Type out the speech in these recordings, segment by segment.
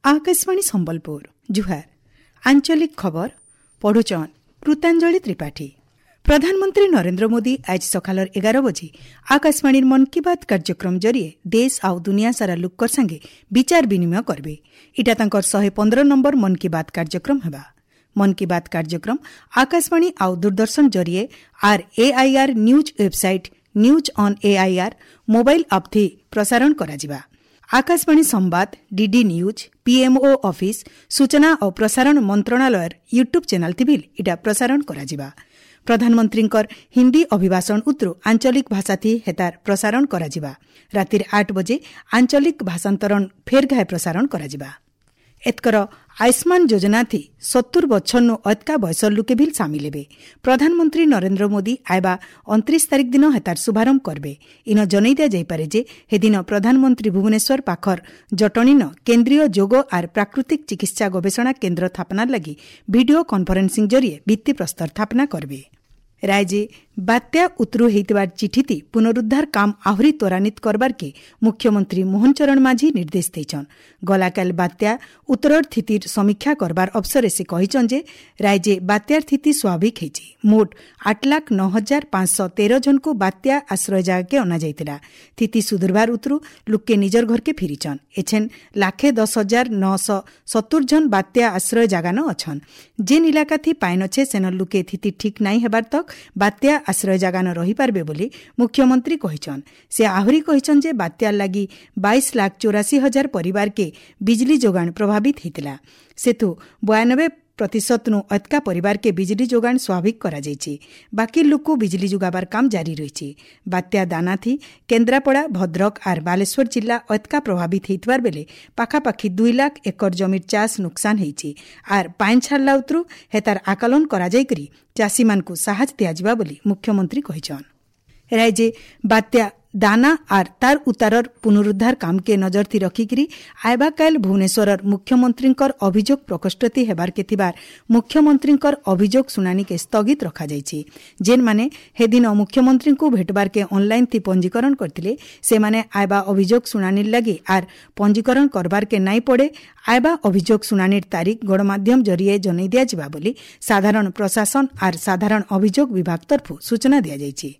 ଆକାଶବାଣୀ ସମ୍ବଲପୁର, ଜୁହାର। ଆଞ୍ଚଳିକ ଖବର ପଢୁଛନ୍ କୃତାଞ୍ଜଳି ତ୍ରିପାଠୀ। ପ୍ରଧାନମନ୍ତ୍ରୀ ନରେନ୍ଦ୍ର ମୋଦି ଆଜ ସକାଳର 11 ବଜେ ଆକାଶବାଣୀର ମନ୍ କି ବାତ୍ କାର୍ଯ୍ୟକ୍ରମ ଜରିଏ ଦେଶ ଆଉ ଦୁନିଆ ସାରା ଲୁକର ସାଙ୍ଗେ ବିଚାର ବିନିମୟ କରବେ। ଇଟା ତାଙ୍କର 115 ନମ୍ବର ମନ୍ କି ବାତ୍ କାର୍ଯ୍ୟକ୍ରମ ହେବା। ମନ୍ କି ବାତ୍ କାର୍ଯ୍ୟକ୍ରମ ଆକାଶବାଣୀ ଆଉ ଦୂରଦର୍ଶନ ଜରିଏ ଆର୍ AIR news website, news on AIR mobile app ଥି ପ୍ରସାରଣ କରାଯିବା। ଆକାଶବାଣୀ ସମ୍ବାଦ, ଡିଡି ନ୍ୟୁଜ୍, ପିଏମ୍ଓ ଅଫିସ୍, ସୂଚନା ଓ ପ୍ରସାରଣ ମନ୍ତ୍ରଣାଳୟର ୟୁଟ୍ୟୁବ୍ ଚ୍ୟାନେଲ୍ ଥି ଇଟା ପ୍ରସାରଣ କରାଯିବା। ପ୍ରଧାନମନ୍ତ୍ରୀଙ୍କର ହିନ୍ଦୀ ଅଭିଭାଷଣ ଉତ୍ରୁ ଆଞ୍ଚଳିକ ଭାଷାଥି ହେତାର ପ୍ରସାରଣ କରାଯିବା। ରାତିରେ 8 ବଜେ ଆଞ୍ଚଳିକ ଭାଷାନ୍ତରଣ ଫେର୍ ଘାଏ ପ୍ରସାରଣ କରାଯିବା। ଏତକର ଆୟୁଷ୍ମାନ ଯୋଜନାଥି 70 ବଛରନୁ ଅତକା ବୟସର ଲୁକେ ଭିଲ୍ ସାମିଲ ହେବେ। ପ୍ରଧାନମନ୍ତ୍ରୀ ନରେନ୍ଦ୍ର ମୋଦି ଆଇବା 29 ତାରିଖ ଦିନ ହେତାର ଶୁଭାରମ୍ଭ କରବେ। ଇନ ଜନେଇ ଦିଆଯାଇପାରେ ଯେ ହେଦିନ ପ୍ରଧାନମନ୍ତ୍ରୀ ଭୁବନେଶ୍ୱର ପାଖର ଜଟଣୀନ କେନ୍ଦ୍ରୀୟ ଯୋଗ ଆର୍ ପ୍ରାକୃତିକ ଚିକିତ୍ସା ଗବେଷଣା କେନ୍ଦ୍ର ସ୍ଥାପନାର ଲାଗି ଭିଡିଓ କନଫରେନ୍ସିଂ ଜରିଏ ଭିତ୍ତିପ୍ରସ୍ତର ସ୍ଥାପନା କରବେ। ରାଜ୍ୟ ବାତ୍ୟା ଉତରୁ ହେଇଥିବାର ଚିଠିତି ପୁନରୁଦ୍ଧାର କାମ ଆହୁରି ତ୍ୱରାନ୍ୱିତ କରବାର୍କେ ମୁଖ୍ୟମନ୍ତ୍ରୀ ମୋହନ ଚରଣ ମାଝୀ ନିର୍ଦ୍ଦେଶ ଦେଇଛନ୍। ଗଲାକାଲ ବାତ୍ୟା ଉତ୍ତରର ସ୍ଥିତିର ସମୀକ୍ଷା କରବାର ଅବସରେ ସେ କହିଛନ୍ ଯେ ରାଜ୍ୟ ବାତ୍ୟାର ସ୍ଥିତି ସ୍ୱାଭାବିକ ହେଇଛି। ମୋଟ 8,09,513 ଜଣକୁ ବାତ୍ୟା ଆଶ୍ରୟ ଜାଗାକେ ଅଣାଯାଇଥିଲା। ସ୍ଥିତି ସୁଧୁରବାର ଉତରୁ ଲୁକେ ନିଜର ଘରକେ ଫିରିଛନ୍। ଏଛେନ୍ 1,10,970 ଜଣ ବାତ୍ୟା ଆଶ୍ରୟ ଜାଗାନ ଅଛନ୍। ଯେନ୍ ଇଲାକାଥି ପାଇନ୍ ଅଛେ, ସେନ ଲୁକେ ସ୍ଥିତି ଠିକ୍ ନାଇଁ ହେବାର ତକ୍ ବାତ୍ୟା ଆଶ୍ରୟ ଜାଗାନ ରହିପାରବେ ବୋଲି ମୁଖ୍ୟମନ୍ତ୍ରୀ କହିଛନ୍। ସେ ଆହୁରି କହିଛନ୍ ଯେ ବାତ୍ୟାର ଲାଗି 22,84,000 ପରିବାରକେ ବିଜଲି ଯୋଗାଣ ପ୍ରଭାବିତ ହେଇଥିଲା। ସେଥୁ 92% ନୁ ଅତକା ପରିବାରକେ ବିଜଲି ଯୋଗାଣ ସ୍ୱାଭାବିକ କରାଯାଇଛି। ବାକି ଲୁକୁ ବିଜଲି ଯୋଗାବାର କାମ ଜାରି ରହିଛି। ବାତ୍ୟା ଦାନାଥି କେନ୍ଦ୍ରାପଡ଼ା, ଭଦ୍ରକ ଆର୍ ବାଲେଶ୍ୱର ଜିଲ୍ଲା ଅତକା ପ୍ରଭାବିତ ହେଇଥିବାର ବେଲେ ପାଖାପାଖି 2 ଲାଖ ଏକର ଜମିର ଚାଷ ନୁକସାନ ହେଇଛି। ଆର୍ ପାଇନ୍ ଛାଡ଼ଲା ଉତରୁ ହେତାର ଆକଲନ କରାଯାଇକରି ଚାଷୀମାନଙ୍କୁ ସାହାଯ୍ୟ ଦିଆଯିବା ବୋଲି ମୁଖ୍ୟମନ୍ତ୍ରୀ କହିଛନ୍। ରାଜ୍ୟ ବାତ୍ୟା ଦାନା ଆର୍ ତାର ଉତାରର ପୁନରୁଦ୍ଧାର କାମକେ ନଜରଥି ରଖିକିରି ଆଇବା କାଲ ଭୁବନେଶ୍ୱରର ମୁଖ୍ୟମନ୍ତ୍ରୀଙ୍କର ଅଭିଯୋଗ ପ୍ରକୋଷ୍ଠତି ହେବାରକେ ଥିବାର ମୁଖ୍ୟମନ୍ତ୍ରୀଙ୍କର ଅଭିଯୋଗ ଶୁଣାଣିକେ ସ୍ଥଗିତ ରଖାଯାଇଛି। ଯେନ୍ମାନେ ହେଦିନ ମୁଖ୍ୟମନ୍ତ୍ରୀଙ୍କୁ ଭେଟବାରକେ ଅନ୍ଲାଇନ୍ ଥି ପଞ୍ଜୀକରଣ କରିଥିଲେ, ସେମାନେ ଆଇବା ଅଭିଯୋଗ ଶୁଣାଣିର ଲାଗି ଆର୍ ପଞ୍ଜୀକରଣ କରବାରକେ ନାଇଁ ପଡ଼େ। ଆଇବା ଅଭିଯୋଗ ଶୁଣାଣିର ତାରିଖ ଗଣମାଧ୍ୟମ ଜରିଏ ଜଣାଇ ଦିଆଯିବା ବୋଲି ସାଧାରଣ ପ୍ରଶାସନ ଆର୍ ସାଧାରଣ ଅଭିଯୋଗ ବିଭାଗ ତରଫରୁ ସୂଚନା ଦିଆଯାଇଛି।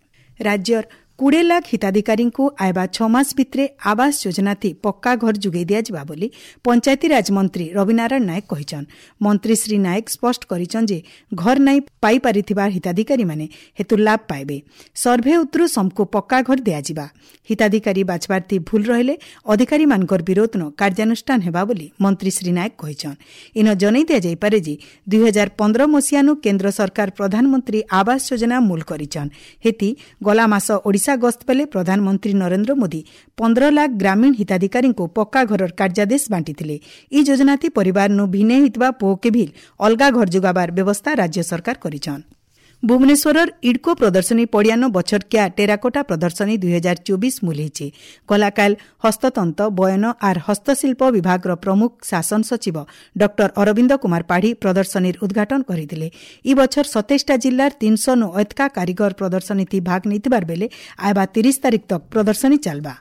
ରାଜ୍ୟର 20 ଲାଖ ହିତାଧିକାରୀଙ୍କୁ ଆଇବା 6 ମାସ ଭିତରେ ଆବାସ ଯୋଜନାଥି ପକ୍କା ଘର ଯୋଗାଇ ଦିଆଯିବା ବୋଲି ପଞ୍ଚାୟତିରାଜ ମନ୍ତ୍ରୀ ରବିନାରାୟଣ ନାୟକ କହିଛନ୍। ମନ୍ତ୍ରୀ ଶ୍ରୀ ନାୟକ ସ୍ପଷ୍ଟ କରିଛନ୍ ଯେ ଘର ନାଇଁ ପାଇପାରିଥିବା ହିତାଧିକାରୀମାନେ ହେତୁ ଲାଭ ପାଇବେ। ସର୍ଭେ ଉତରୁ ସମକୁ ପକ୍କା ଘର ଦିଆଯିବା। ହିତାଧିକାରୀ ବାଛବାର୍ଥି ଭୁଲ ରହିଲେ ଅଧିକାରୀମାନଙ୍କର ବିରୋଧନ କାର୍ଯ୍ୟାନୁଷ୍ଠାନ ହେବା ବୋଲି ମନ୍ତ୍ରୀ ଶ୍ରୀ ନାୟକ କହିଛନ୍। ଇନ ଜଣାଇ ଦିଆଯାଇପାରେ ଯେ 2015 ମସିହାନୁ କେନ୍ଦ୍ର ସରକାର ପ୍ରଧାନମନ୍ତ୍ରୀ ଆବାସ ଯୋଜନା ମୂଲ କରିଛନ୍। ହେତି ଗଲା ମାସ ଓଡ଼ିଶା ଗସ୍ତ ବେଲେ ପ୍ରଧାନମନ୍ତ୍ରୀ ନରେନ୍ଦ୍ର ମୋଦି 15 ଲାଖ ଗ୍ରାମୀଣ ହିତାଧିକାରୀଙ୍କୁ ପକ୍କା ଘରର କାର୍ଯ୍ୟାଦେଶ ବାଣ୍ଟିଥିଲେ। ଇ ଯୋଜନାଥି ପରିବାରନୁ ଭିନେ ହେଇଥିବା ପୁଅକେ ଭିଲ୍ ଅଲଗା ଘର ଯୋଗାବାର ବ୍ୟବସ୍ଥା ରାଜ୍ୟ ସରକାର କରିଛନ୍। ଭୁବନେଶ୍ୱରର ଇଡ୍କୋ ପ୍ରଦର୍ଶନୀ ପଡ଼ିଆନ ବଛରକିଆ ଟେରାକୋଟା ପ୍ରଦର୍ଶନୀ 2024 ମୂଲ ହେଇଛି। ଗଲାକାଲ ହସ୍ତତନ୍ତ, ବୟନ ଆର୍ ହସ୍ତଶିଳ୍ପ ବିଭାଗର ପ୍ରମୁଖ ଶାସନ ସଚିବ ଡକ୍ଟର ଅରବିନ୍ଦ କୁମାର ପାଢ଼ୀ ପ୍ରଦର୍ଶନୀର ଉଦ୍ଘାଟନ କରିଥିଲେ। ଇ ବଛର 27ଟା ଜିଲ୍ଲାର 300 ନୁ ଅତକା କାରିଗର ପ୍ରଦର୍ଶନୀଥି ଭାଗ ନେଇଥିବାର ବେଲେ ଆଇବା 30 ତାରିଖ ତକ୍ ପ୍ରଦର୍ଶନୀ ଚାଲବା।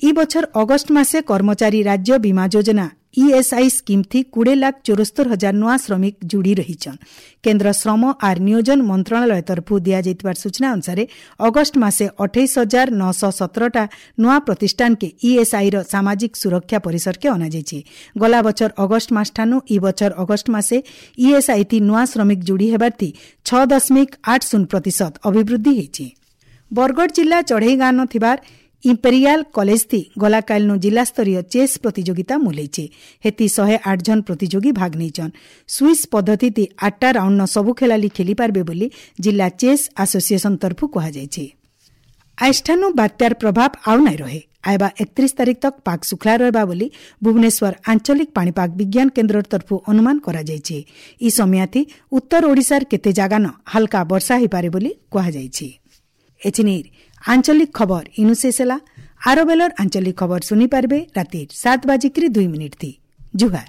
ଇ ବଛର ଅଗଷ୍ଟ ମାସେ କର୍ମଚାରୀ ରାଜ୍ୟ ବୀମା ଯୋଜନା ଇଏସ୍ଆଇ ସ୍କିମ୍ ଥି 20,74,000 ନୂଆ ଶ୍ରମିକ ଯୋଡ଼ି ରହିଛନ୍। କେନ୍ଦ୍ର ଶ୍ରମ ଆର୍ ନିୟୋଜନ ମନ୍ତ୍ରଣାଳୟ ତରଫରୁ ଦିଆଯାଇଥିବାର ସୂଚନା ଅନୁସାରେ ଅଗଷ୍ଟ ମାସେ 28,917ଟା ନୂଆ ପ୍ରତିଷ୍ଠାନକେ ଇଏସ୍ଆଇର ସାମାଜିକ ସୁରକ୍ଷା ପରିସରକେ ଅଣାଯାଇଛି। ଗଲା ବଛର ଅଗଷ୍ଟ ମାସଠାନୁ ଇ ବଛର ଅଗଷ୍ଟ ମାସେ ଇଏସ୍ଆଇ ଥି ନୂଆ ଶ୍ରମିକ ଯୋଡ଼ି ହେବାର ଥି 6.80% ଅଭିବୃଦ୍ଧି ହେଇଛି। ବରଗଡ଼ ଜିଲ୍ଲା ଚଢ଼େଇ ଗାଁନ ଥିବାର ଇମ୍ପେରିଆଲ କଲେଜ ଥି ଗଲାକାଲନୁ ଜିଲ୍ଲାସ୍ତରୀୟ ଚେସ୍ ପ୍ରତିଯୋଗିତା ମୁଲେଇছে। ହେତି 108 ଜଣ ପ୍ରତିଯୋଗୀ ଭାଗ ନେଇଛନ୍। ସୁଇସ୍ ପଦ୍ଧତିଥି 8ଟା ରାଉଣ୍ଡ ସବୁ ଖେଳାଳି ଖେଳିପାରବେ ବୋଲି ଜିଲ୍ଲା ଚେସ୍ ଆସୋସିଏସନ ତରଫରୁ କୁହାଯାଇଛି। ଆଇଷ୍ଠାନୁ ବାତ୍ୟାର ପ୍ରଭାବ ଆଉ ନାଇଁ ରହେ। ଆଇବା 31 ତାରିଖ ତକ୍ ପାଗ ଶୁଖଲା ରହିବା ବୋଲି ଭୁବନେଶ୍ୱର ଆଞ୍ଚଳିକ ପାଣିପାଗ ବିଜ୍ଞାନ କେନ୍ଦ୍ର ତରଫରୁ ଅନୁମାନ କରାଯାଇଛି। ଇ ସମୟାଥି ଉତ୍ତର ଓଡ଼ିଶାର କେତେ ଜାଗାନ ହାଲକା ବର୍ଷା ହୋଇପାରେ ବୋଲି କୁହାଯାଇଛି। ଏଚିନିର ଆଞ୍ଚଳିକ ଖବର ଇନୁ ଶେଷ ହେଲା। ଆର ବେଲର ଆଞ୍ଚଳିକ ଖବର ଶୁଣିପାରିବେ ରାତି 7:02 ଥି। ଜୁହାର।